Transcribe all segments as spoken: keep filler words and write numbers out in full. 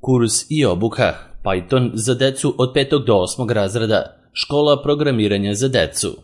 Kurs i obuka Python za decu od petog do osmog razreda, škola programiranja za decu.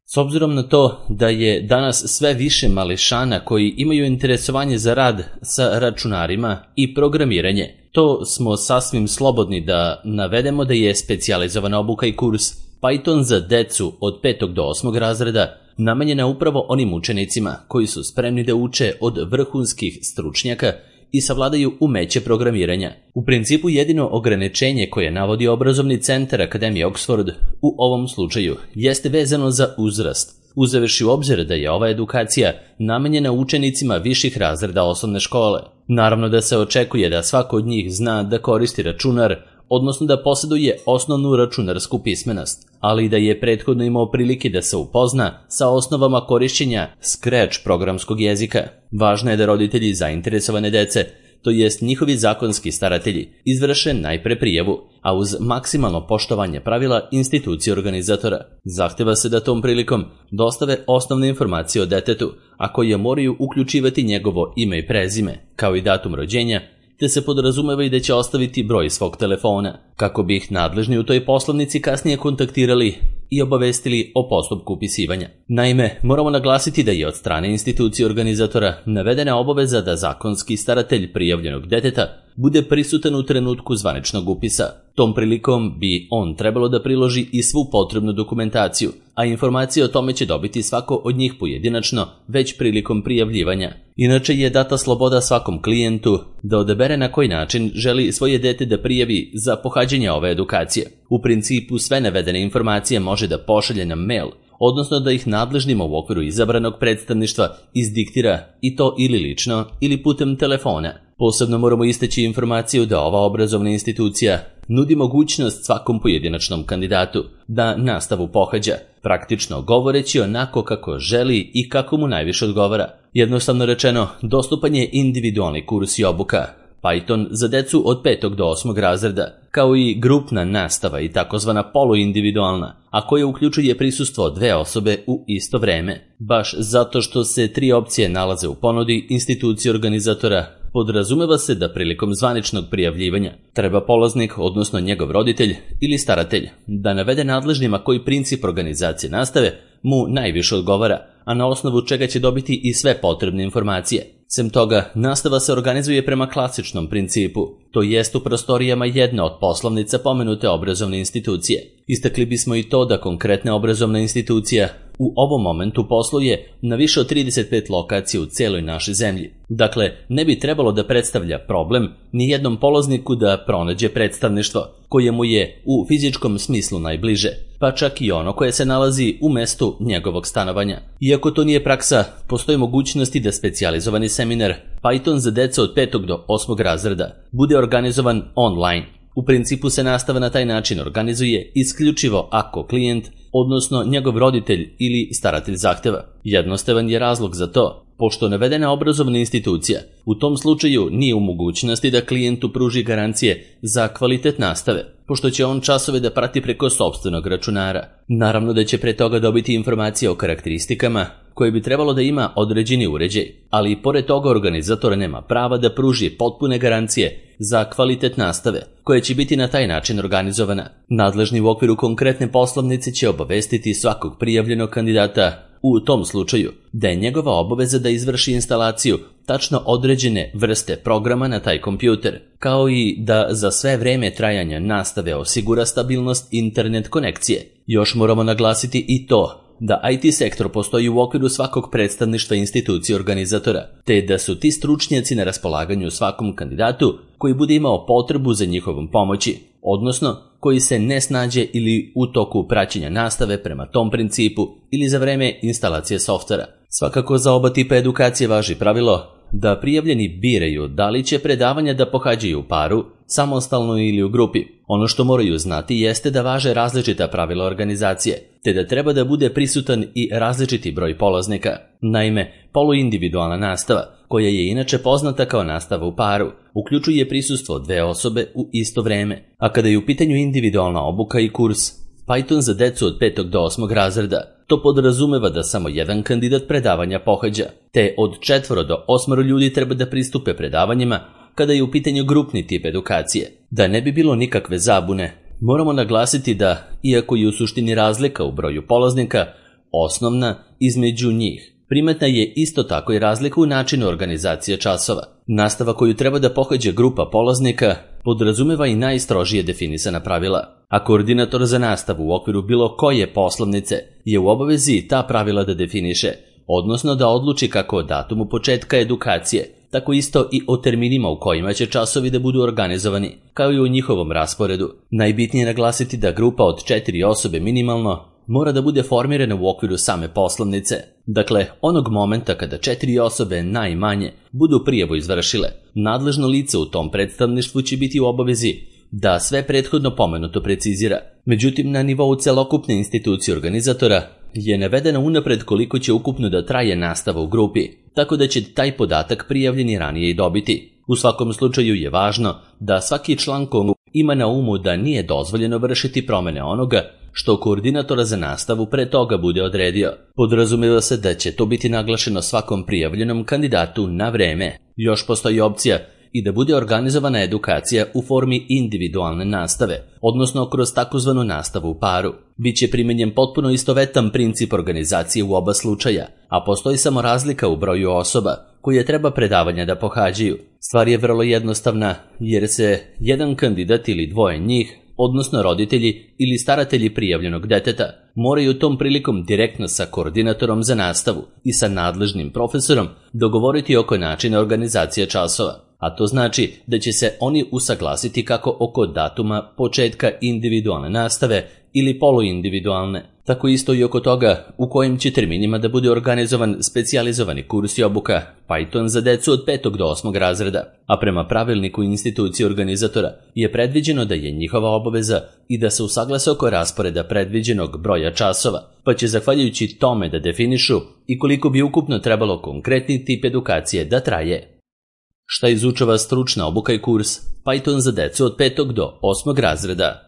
S obzirom na to da je danas sve više mališana koji imaju interesovanje za rad sa računarima i programiranje, to smo sasvim slobodni da navedemo da je specijalizovana obuka i kurs Python za decu od petog do osmog razreda namenjena upravo onim učenicima koji su spremni da uče od vrhunskih stručnjaka i savladaju umeće programiranja. U principu jedino ograničenje koje navodi obrazovni centar Akademije Oxford u ovom slučaju jeste vezano za uzrast, uzevši u obzir da je ova edukacija namenjena učenicima viših razreda osnovne škole. Naravno da se očekuje da svako od njih zna da koristi računar, odnosno da posjeduje osnovnu računarsku pismenost, ali i da je prethodno imao prilike da se upozna sa osnovama korišćenja Scratch programskog jezika. Važno je da roditelji zainteresovane dece, to jest njihovi zakonski staratelji, izvrše najpre prijavu, a uz maksimalno poštovanje pravila institucije organizatora. Zahteva se da tom prilikom dostave osnovne informacije o detetu, a koje moraju uključivati njegovo ime i prezime, kao i datum rođenja, te se podrazumeva i da će ostaviti broj svog telefona, kako bi ih nadležni u toj poslovnici kasnije kontaktirali i obavestili o postupku upisivanja. Naime, moramo naglasiti da je od strane institucije organizatora navedena obaveza da zakonski staratelj prijavljenog deteta bude prisutan u trenutku zvaničnog upisa. Tom prilikom bi on trebalo da priloži i svu potrebnu dokumentaciju, a informacije o tome će dobiti svako od njih pojedinačno već prilikom prijavljivanja. Inače je data sloboda svakom klijentu da odabere na koji način želi svoje dete da prijavi za pohađanje ove edukacije. U principu sve navedene informacije može da pošalje na mail, odnosno da ih nadležnima u okviru izabranog predstavništva izdiktira, i to ili lično ili putem telefona. Posebno moramo istaći informaciju da ova obrazovna institucija nudi mogućnost svakom pojedinačnom kandidatu da nastavu pohađa, praktično govoreći onako kako želi i kako mu najviše odgovara. Jednostavno rečeno, dostupan je individualni kurs i obuka Python za decu od petog do osmog razreda, kao i grupna nastava i takozvana poluindividualna, a koja uključuje prisustvo dve osobe u isto vreme. Baš zato što se tri opcije nalaze u ponudi institucije organizatora, podrazumeva se da prilikom zvaničnog prijavljivanja treba polaznik, odnosno njegov roditelj ili staratelj, da navede nadležnima koji princip organizacije nastave mu najviše odgovara, a na osnovu čega će dobiti i sve potrebne informacije. Sem toga, nastava se organizuje prema klasičnom principu, to jest u prostorijama jedne od poslovnica pomenute obrazovne institucije. Istakli bismo i to da konkretna obrazovna institucija u ovom momentu posluje na više od trideset pet lokacija u celoj našoj zemlji. Dakle, ne bi trebalo da predstavlja problem ni jednom polazniku da pronađe predstavništvo koje mu je u fizičkom smislu najbliže, pa čak i ono koje se nalazi u mestu njegovog stanovanja. Iako to nije praksa, postoji mogućnosti da specijalizovani seminar Python za decu od petog do osmog razreda bude organizovan online. U principu se nastava na taj način organizuje isključivo ako klijent, odnosno njegov roditelj ili staratelj zahteva. Jednostavan je razlog za to, pošto navedena obrazovna institucija u tom slučaju nije u mogućnosti da klijentu pruži garancije za kvalitet nastave, pošto će on časove da prati preko sopstvenog računara. Naravno da će pre toga dobiti informacije o karakteristikama koje bi trebalo da ima određeni uređaj, ali i pored toga organizator nema prava da pruži potpune garancije za kvalitet nastave, koja će biti na taj način organizovana. Nadležni u okviru konkretne poslovnice će obavestiti svakog prijavljenog kandidata u tom slučaju da je njegova obaveza da izvrši instalaciju tačno određene vrste programa na taj kompjuter, kao i da za sve vreme trajanja nastave osigura stabilnost internet konekcije. Još moramo naglasiti i to da I T sektor postoji u okviru svakog predstavništva institucije organizatora, te da su ti stručnjaci na raspolaganju svakom kandidatu koji bude imao potrebu za njihovom pomoći, odnosno koji se ne snađe ili u toku praćenja nastave prema tom principu ili za vreme instalacije softvera. Svakako za oba tipa edukacije važi pravilo da prijavljeni biraju da li će predavanja da pohađaju u paru, samostalno ili u grupi. Ono što moraju znati jeste da važe različita pravila organizacije, te da treba da bude prisutan i različiti broj polaznika. Naime, poluindividualna nastava, koja je inače poznata kao nastava u paru, uključuje prisustvo dve osobe u isto vreme, a kada je u pitanju individualna obuka i kurs Python za decu od petog do osmog razreda, to podrazumeva da samo jedan kandidat predavanja pohađa, te od četvoro do osmoro ljudi treba da pristupe predavanjima kada je u pitanju grupni tip edukacije. Da ne bi bilo nikakve zabune, moramo naglasiti da, iako je u suštini razlika u broju polaznika osnovna između njih, primetna je isto tako i razlika u načinu organizacije časova. Nastava koju treba da pohađa grupa polaznika podrazumeva i najstrožije definisana pravila, a koordinator za nastavu u okviru bilo koje poslovnice je u obavezi ta pravila da definiše, odnosno da odluči kako o datumu početka edukacije, tako isto i o terminima u kojima će časovi da budu organizovani, kao i o njihovom rasporedu. Najbitnije je naglasiti da grupa od četiri osobe minimalno mora da bude formirana u okviru same poslovnice. Dakle, onog momenta kada četiri osobe najmanje budu prijavu izvršile, nadležno lice u tom predstavništvu će biti u obavezi da sve prethodno pomenuto precizira. Međutim, na nivou celokupne institucije organizatora je navedeno unapred koliko će ukupno da traje nastava u grupi, tako da će taj podatak prijavljeni ranije i dobiti. U svakom slučaju je važno da svaki član kongu ima na umu da nije dozvoljeno vršiti promene onoga što koordinatora za nastavu pre toga bude odredio. Podrazumeva se da će to biti naglašeno svakom prijavljenom kandidatu na vreme. Još postoji opcija i da bude organizovana edukacija u formi individualne nastave, odnosno kroz takozvanu nastavu u paru. Biće primenjen potpuno istovetan princip organizacije u oba slučaja, a postoji samo razlika u broju osoba koje treba predavanja da pohađaju. Stvar je vrlo jednostavna, jer se jedan kandidat ili dvoje njih, odnosno roditelji ili staratelji prijavljenog deteta, moraju tom prilikom direktno sa koordinatorom za nastavu i sa nadležnim profesorom dogovoriti oko načina organizacije časova. A to znači da će se oni usaglasiti kako oko datuma početka individualne nastave ili poluindividualne, tako isto i oko toga u kojim će terminima da bude organizovan specijalizovani kurs i obuka Python za decu od petog do osmog razreda, a prema pravilniku institucije organizatora je predviđeno da je njihova obaveza i da se usaglase oko rasporeda predviđenog broja časova, pa će zahvaljujući tome da definišu i koliko bi ukupno trebalo konkretni tip edukacije da traje. Šta izučava stručna obuka i kurs Python za decu od petog do osmog razreda?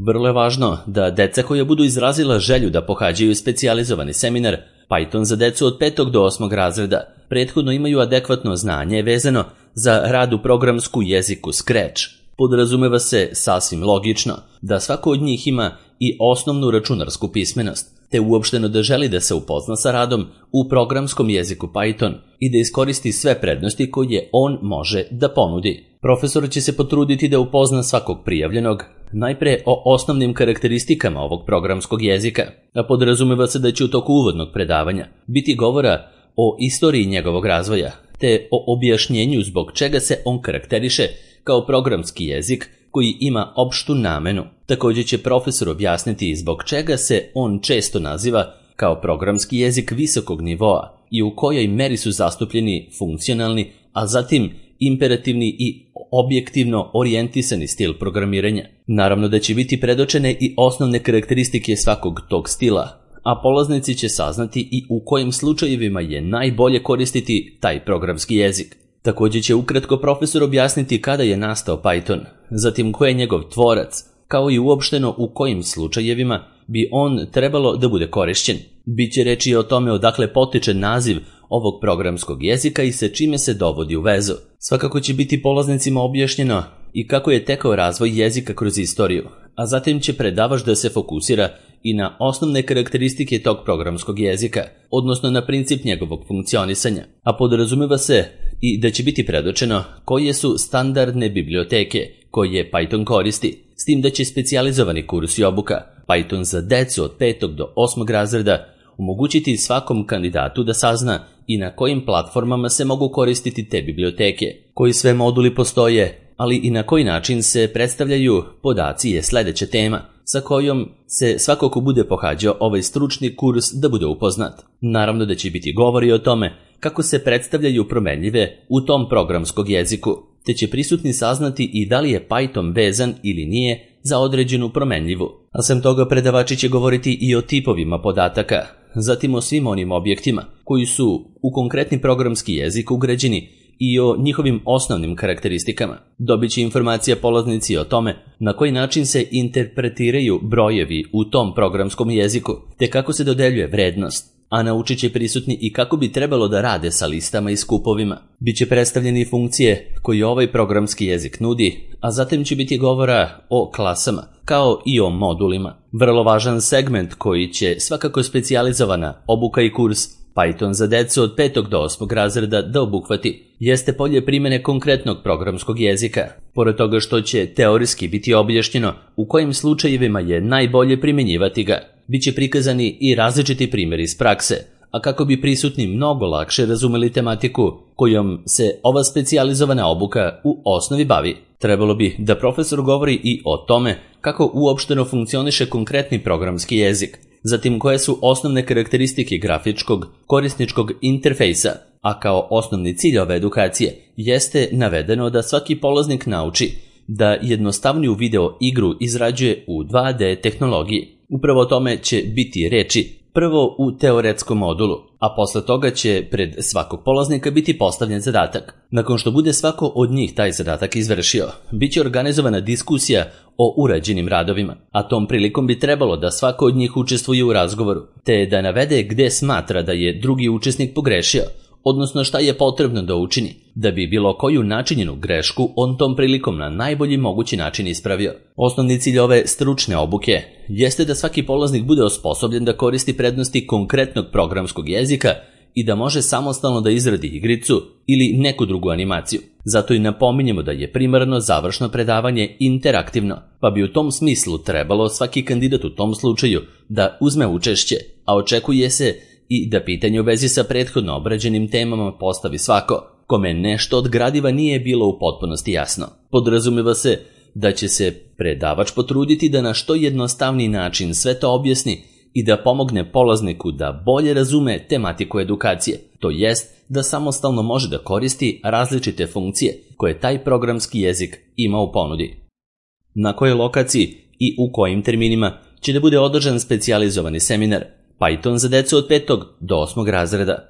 Vrlo je važno da deca koja budu izrazila želju da pohađaju specijalizovani seminar Python za decu od petog do osmog razreda prethodno imaju adekvatno znanje vezano za rad u programsku jeziku Scratch. Podrazumeva se sasvim logično da svako od njih ima i osnovnu računarsku pismenost, te uopšteno da želi da se upozna sa radom u programskom jeziku Python i da iskoristi sve prednosti koje on može da ponudi. Profesor će se potruditi da upozna svakog prijavljenog najpre o osnovnim karakteristikama ovog programskog jezika, a podrazumeva se da će u toku uvodnog predavanja biti govora o istoriji njegovog razvoja, te o objašnjenju zbog čega se on karakteriše kao programski jezik koji ima opštu namenu. Također će profesor objasniti zbog čega se on često naziva kao programski jezik visokog nivoa i u kojoj meri su zastupljeni funkcionalni, a zatim imperativni i objektivno orijentisani stil programiranja. Naravno da će biti predočene i osnovne karakteristike svakog tog stila, a polaznici će saznati i u kojim slučajevima je najbolje koristiti taj programski jezik. Također će ukratko profesor objasniti kada je nastao Python, zatim ko je njegov tvorac, kao i uopšteno u kojim slučajevima bi on trebalo da bude korišćen. Biće reči o tome odakle potiče naziv ovog programskog jezika i sa čime se dovodi u vezu. Svakako će biti polaznicima objašnjeno i kako je tekao razvoj jezika kroz istoriju, a zatim će predavač da se fokusira i na osnovne karakteristike tog programskog jezika, odnosno na princip njegovog funkcionisanja, a podrazumeva se i da će biti predočeno koje su standardne biblioteke koje Python koristi, s tim da će specijalizovani kurs i obuka Python za decu od petog do osmog razreda omogućiti svakom kandidatu da sazna i na kojim platformama se mogu koristiti te biblioteke, koji sve moduli postoje, ali i na koji način se predstavljaju podaci je sljedeća tema, sa kojom se svako ko bude pohađao ovaj stručni kurs da bude upoznat. Naravno da će biti govori o tome kako se predstavljaju promenljive u tom programskog jeziku, te će prisutni saznati i da li je Python vezan ili nije za određenu promenljivu. A sem toga predavači će govoriti i o tipovima podataka, zatim o svim onim objektima koji su u konkretni programski jezik ugrađeni i o njihovim osnovnim karakteristikama. Dobit će informacija polaznici o tome na koji način se interpretiraju brojevi u tom programskom jeziku, te kako se dodeljuje vrednost. a naučit će prisutni i kako bi trebalo da rade sa listama i skupovima. Biće predstavljeni funkcije koje ovaj programski jezik nudi, a zatim će biti govora o klasama, kao i o modulima. Vrlo važan segment koji će svakako specijalizovana obuka i kurs Python za decu od petog do osmog razreda da obuhvati jeste polje primjene konkretnog programskog jezika. Pored toga što će teorijski biti objašnjeno u kojim slučajevima je najbolje primjenjivati ga, bit će prikazani i različiti primjeri iz prakse, a kako bi prisutni mnogo lakše razumeli tematiku kojom se ova specijalizovana obuka u osnovi bavi. Trebalo bi da profesor govori i o tome kako uopšteno funkcioniše konkretni programski jezik, zatim koje su osnovne karakteristike grafičkog korisničkog interfejsa, a kao osnovni cilj ove edukacije jeste navedeno da svaki polaznik nauči da jednostavniju video igru izrađuje u dva de tehnologiji. Upravo o tome će biti reči prvo u teoretskom modulu, a posle toga će pred svakog polaznika biti postavljen zadatak. Nakon što bude svako od njih taj zadatak izvršio, bit će organizovana diskusija o urađenim radovima, a tom prilikom bi trebalo da svako od njih učestvuje u razgovoru, te da navede gde smatra da je drugi učesnik pogrešio, odnosno šta je potrebno da učini, da bi bilo koju načinjenu grešku on tom prilikom na najbolji mogući način ispravio. Osnovni cilj ove stručne obuke jeste da svaki polaznik bude osposobljen da koristi prednosti konkretnog programskog jezika i da može samostalno da izradi igricu ili neku drugu animaciju. Zato i napominjemo da je primarno završno predavanje interaktivno, pa bi u tom smislu trebalo svaki kandidat u tom slučaju da uzme učešće, a očekuje se i da pitanje u vezi sa prethodno obrađenim temama postavi svako kome nešto od gradiva nije bilo u potpunosti jasno. Podrazumeva se da će se predavač potruditi da na što jednostavniji način sve to objasni i da pomogne polazniku da bolje razume tematiku edukacije, to jest da samostalno može da koristi različite funkcije koje taj programski jezik ima u ponudi. Na kojoj lokaciji i u kojim terminima će da bude održan specijalizovani seminar Python za decu od petog do osmog razreda.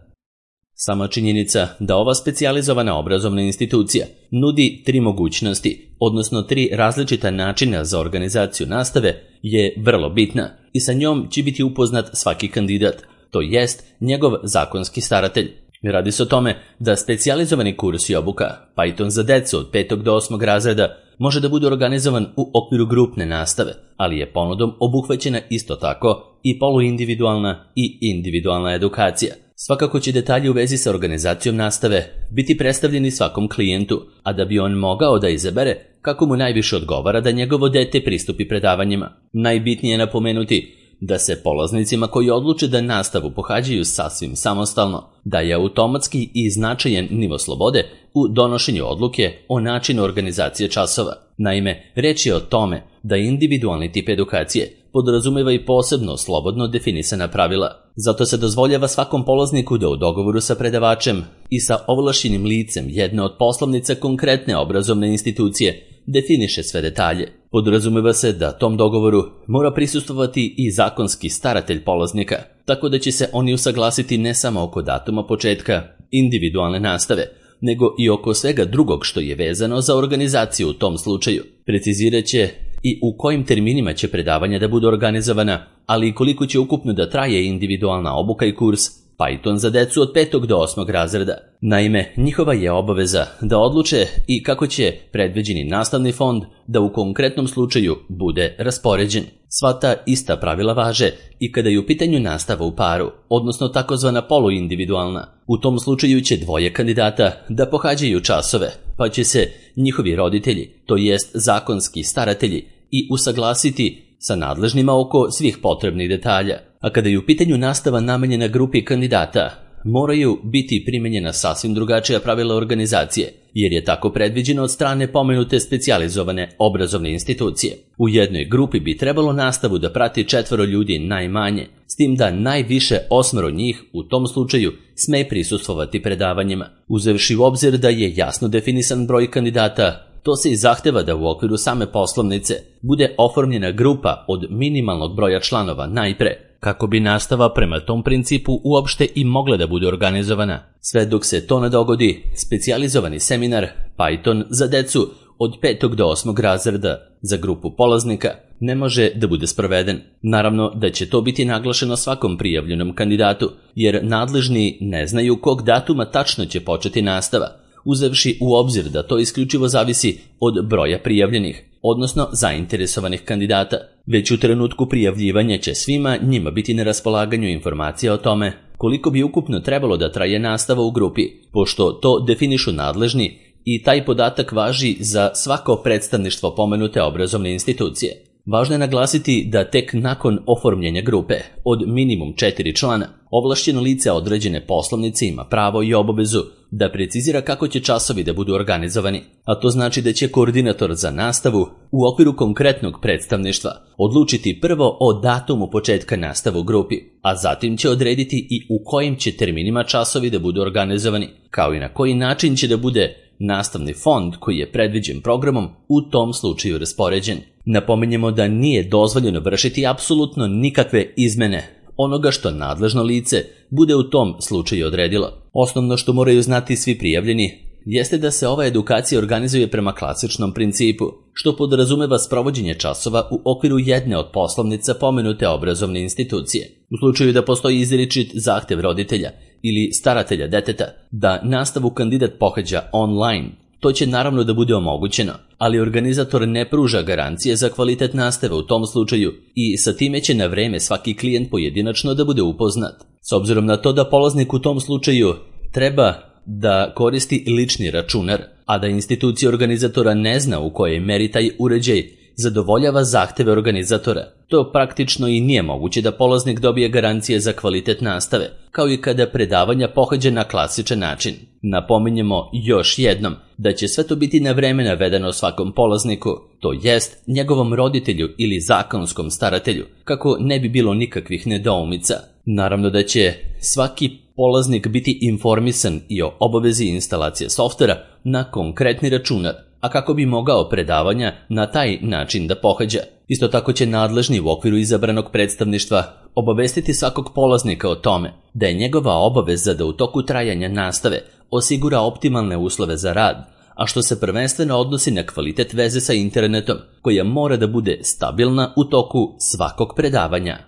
Sama činjenica da ova specijalizovana obrazovna institucija nudi tri mogućnosti, odnosno tri različita načina za organizaciju nastave, je vrlo bitna i sa njom će biti upoznat svaki kandidat, to jest njegov zakonski staratelj. Radi se o tome da specijalizovani kurs i obuka Python za decu od petog do osmog razreda može da bude organizovan u okviru grupne nastave, ali je ponudom obuhvaćena isto tako i poluindividualna i individualna edukacija. Svakako će detalji u vezi sa organizacijom nastave biti predstavljeni svakom klijentu, a da bi on mogao da izabere kako mu najviše odgovara da njegovo dete pristupi predavanjima. Najbitnije je napomenuti da se polaznicima koji odluče da nastavu pohađaju sasvim samostalno, da je automatski i značajan nivo slobode u donošenju odluke o načinu organizacije časova. Naime, reč je o tome da individualni tip edukacije podrazumeva i posebno slobodno definisana pravila. Zato se dozvoljava svakom polazniku da u dogovoru sa predavačem i sa ovlašćenim licem jedne od poslovnica konkretne obrazovne institucije definiše sve detalje. Podrazumeva se da tom dogovoru mora prisustvovati i zakonski staratelj polaznika, tako da će se oni usaglasiti ne samo oko datuma početka individualne nastave, nego i oko svega drugog što je vezano za organizaciju u tom slučaju. Precizirat će i u kojim terminima će predavanja da budu organizovana, ali i koliko će ukupno da traje individualna obuka i kurs Python za decu od petog do osmog razreda. Naime, njihova je obaveza da odluče i kako će predviđeni nastavni fond da u konkretnom slučaju bude raspoređen. Sva ta ista pravila važe i kada je u pitanju nastava u paru, odnosno takozvana poluindividualna. U tom slučaju će dvoje kandidata da pohađaju časove, pa će se njihovi roditelji, to jest zakonski staratelji, i usaglasiti sa nadležnima oko svih potrebnih detalja. A kada je u pitanju nastava namenjena grupi kandidata, moraju biti primenjena sasvim drugačija pravila organizacije, jer je tako predviđeno od strane pomenute specijalizovane obrazovne institucije. U jednoj grupi bi trebalo nastavu da prati četvoro ljudi najmanje, s tim da najviše osmero njih u tom slučaju sme prisustvovati predavanjima. Uzevši u obzir da je jasno definisan broj kandidata, to se i zahteva da u okviru same poslovnice bude oformljena grupa od minimalnog broja članova najpre, kako bi nastava prema tom principu uopšte i mogla da bude organizovana. Sve dok se to ne dogodi, specijalizovani seminar Python za decu od petog do osmog razreda za grupu polaznika ne može da bude sproveden. Naravno da će to biti naglašeno svakom prijavljenom kandidatu, jer nadležni ne znaju kog datuma tačno će početi nastava, uzevši u obzir da to isključivo zavisi od broja prijavljenih, odnosno zainteresovanih kandidata. Već u trenutku prijavljivanja će svima njima biti na raspolaganju informacija o tome koliko bi ukupno trebalo da traje nastava u grupi, pošto to definišu nadležni i taj podatak važi za svako predstavništvo pomenute obrazovne institucije. Važno je naglasiti da tek nakon oformljenja grupe od minimum četiri člana, ovlašćeno lice određene poslovnice ima pravo i obavezu da precizira kako će časovi da budu organizovani, a to znači da će koordinator za nastavu u okviru konkretnog predstavništva odlučiti prvo o datumu početka nastave u grupi, a zatim će odrediti i u kojim će terminima časovi da budu organizovani, kao i na koji način će da bude nastavni fond koji je predviđen programom u tom slučaju raspoređen. Napominjemo da nije dozvoljeno vršiti apsolutno nikakve izmene onoga što nadležno lice bude u tom slučaju odredilo. Osnovno što moraju znati svi prijavljeni jeste da se ova edukacija organizuje prema klasičnom principu, što podrazumeva sprovođenje časova u okviru jedne od poslovnica pomenute obrazovne institucije. U slučaju da postoji izričit zahtev roditelja ili staratelja deteta da nastavu kandidat pohađa online, to će naravno da bude omogućeno, ali organizator ne pruža garancije za kvalitet nastave u tom slučaju i sa time će na vreme svaki klijent pojedinačno da bude upoznat. S obzirom na to da polaznik u tom slučaju treba da koristi lični računar, a da institucija organizatora ne zna u kojoj meri taj uređaj zadovoljava zahteve organizatora, to praktično i nije moguće da polaznik dobije garancije za kvalitet nastave, kao i kada predavanja pohađa na klasičan način. Napominjemo još jednom da će sve to biti na vreme navedeno svakom polazniku, to jest njegovom roditelju ili zakonskom staratelju, kako ne bi bilo nikakvih nedoumica. Naravno da će svaki polaznik biti informisan i o obavezi instalacije softvera na konkretni računar, a kako bi mogao predavanja na taj način da pohađa. Isto tako će nadležni u okviru izabranog predstavništva obavestiti svakog polaznika o tome da je njegova obaveza da u toku trajanja nastave osigura optimalne uslove za rad, a što se prvenstveno odnosi na kvalitet veze sa internetom, koja mora da bude stabilna u toku svakog predavanja.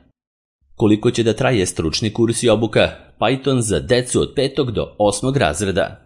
Koliko će da traje stručni kurs i obuka Python za decu od petog do osmog razreda?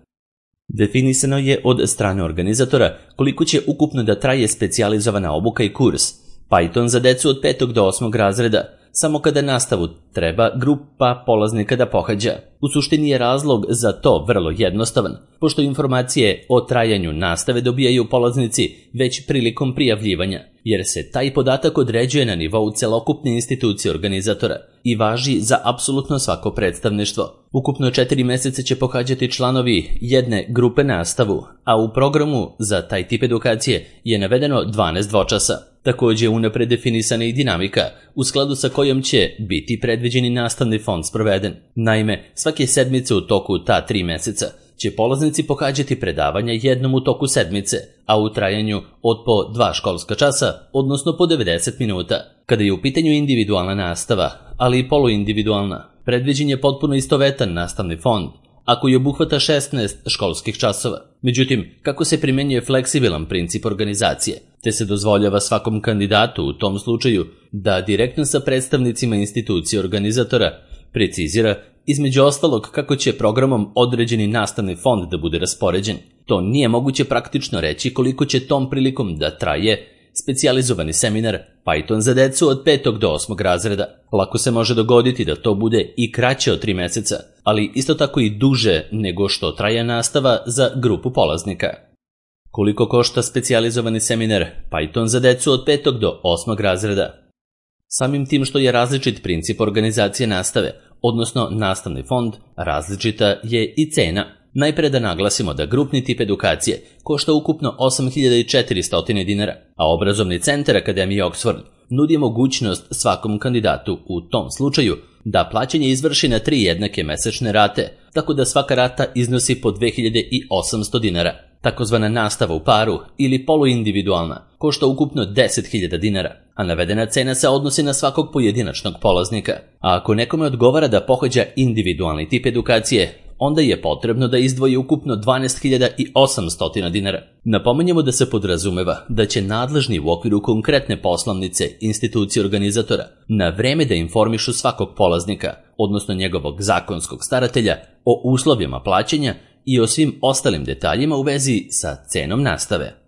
Definisano je od strane organizatora koliko će ukupno da traje specijalizovana obuka i kurs Python za decu od petog do osmog razreda, samo kada nastavu treba grupa polaznika da pohađa. U suštini je razlog za to vrlo jednostavan, pošto informacije o trajanju nastave dobijaju polaznici već prilikom prijavljivanja, jer se taj podatak određuje na nivou celokupne institucije organizatora i važi za apsolutno svako predstavništvo. Ukupno četiri meseca će pohađati članovi jedne grupe nastavu, a u programu za taj tip edukacije je navedeno dvanaest dvočasa. Također je unapred definisana i dinamika u skladu sa kojom će biti predviđeni nastavni fond sproveden. Naime, svake sedmice u toku ta tri meseca će polaznici pohađati predavanja jednom u toku sedmice, a u trajanju od po dva školska časa, odnosno po devedeset minuta. Kada je u pitanju individualna nastava, ali i poluindividualna, predviđen je potpuno istovetan nastavni fond, a koji obuhvata šesnaest školskih časova. Međutim, kako se primenjuje fleksibilan princip organizacije, te se dozvoljava svakom kandidatu u tom slučaju da direktno sa predstavnicima institucije organizatora precizira između ostalog kako će programom određeni nastavni fond da bude raspoređen. To nije moguće praktično reći koliko će tom prilikom da traje specijalizovani seminar Python za decu od petog do osmog razreda. Lako se može dogoditi da to bude i kraće od tri meseca, ali isto tako i duže nego što traje nastava za grupu polaznika. Koliko košta specijalizovani seminar Python za decu od petog do osmog razreda? Samim tim što je različit princip organizacije nastave, odnosno nastavni fond, različita je i cena. Najpre da naglasimo da grupni tip edukacije košta ukupno osam hiljada četiristo dinara, a obrazovni centar Akademije Oxford nudi mogućnost svakom kandidatu u tom slučaju da plaćanje izvrši na tri jednake mesečne rate, tako da svaka rata iznosi po dve hiljade osamsto dinara. Takozvana nastava u paru ili poluindividualna košta ukupno deset hiljada dinara, a navedena cena se odnosi na svakog pojedinačnog polaznika. A ako nekome odgovara da pohađa individualni tip edukacije, onda je potrebno da izdvoji ukupno dvanaest hiljada osamsto dinara. Napominjemo da se podrazumeva da će nadležni u okviru konkretne poslovnice institucije organizatora na vreme da informišu svakog polaznika, odnosno njegovog zakonskog staratelja, o uslovima plaćanja i o svim ostalim detaljima u vezi sa cenom nastave.